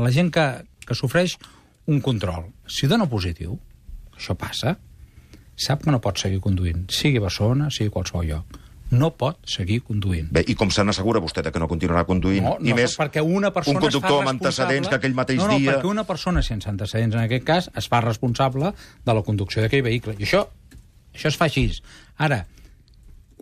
la gent que sofreix un control, si dona positiu, això passa, sap que no pot seguir conduint, sigui a Barcelona, sigui a qualsevol lloc. No pot seguir conduint. Bé, i com se n'assegura vostè que no continuarà conduint? No, I més, perquè una persona un conductor amb antecedents que aquell mateix dia... perquè una persona sense antecedents, en aquest cas, es fa responsable de la conducció d'aquell vehicle. I això es fa així. Ara,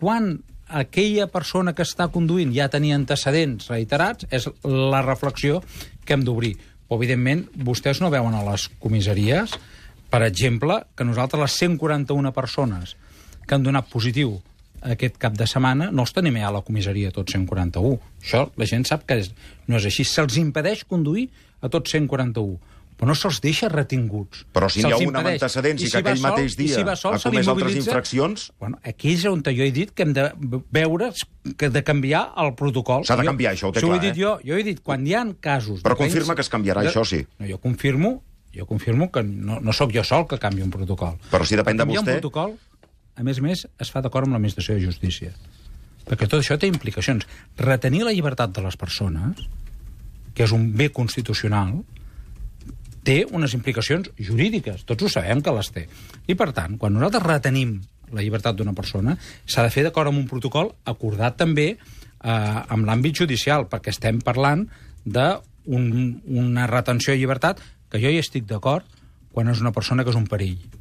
quan aquella persona que està conduint ja tenia antecedents reiterats, és la reflexió que hem d'obrir. Però, evidentment, vostès no veuen a les comissaries, per exemple, que nosaltres les 141 persones que han donat positiu aquest cap de setmana no els tenim a la comissaria tots 141. Això la gent sap que no és així. Se'ls impedeix conduir a tots 141, però no se'ls deixa retinguts. Però si n'hi ha un amb antecedents i que aquell mateix dia ha comès altres infraccions... Bueno, aquí és on jo he dit que hem de veure, que de canviar el protocol. S'ha de canviar, això ho té clar, ho he dit jo he dit, quan hi ha casos... Però confirma que es canviarà, això sí. No, jo confirmo que no sóc jo sol que canvi un protocol. Però si depèn de vostè... Un protocol, a més, es fa d'acord amb l'Administració de Justícia. Perquè tot això té implicacions. Retenir la llibertat de les persones, que és un bé constitucional, té unes implicacions jurídiques. Tots ho sabem que les té. I, per tant, quan nosaltres retenim la llibertat d'una persona, s'ha de fer d'acord amb un protocol acordat també amb l'àmbit judicial, perquè estem parlant d'una retenció de llibertat que jo hi estic d'acord quan és una persona que és un perill.